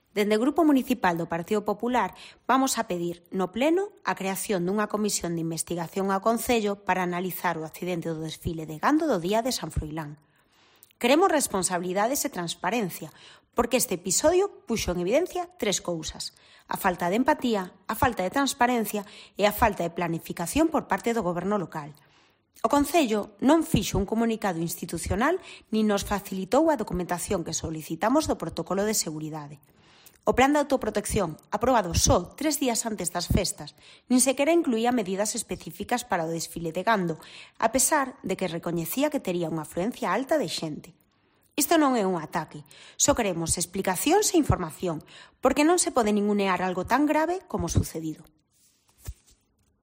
Dende o Grupo Municipal do Partido Popular vamos a pedir no Pleno a creación dunha comisión de investigación ao Concello para analizar o accidente do desfile de gando do Día de San Froilán. Queremos responsabilidades e transparencia, porque este episodio puxo en evidencia tres cousas: a falta de empatía, a falta de transparencia e a falta de planificación por parte do Goberno local. O Concello non fixo un comunicado institucional nin nos facilitou a documentación que solicitamos do protocolo de seguridade. O plan de autoprotección, aprobado só 3 días antes das festas, nin sequera incluía medidas específicas para o desfile de gando, a pesar de que recoñecía que tería unha afluencia alta de xente. Isto non é un ataque, só queremos explicacións e información, porque non se pode ningunear algo tan grave como o sucedido.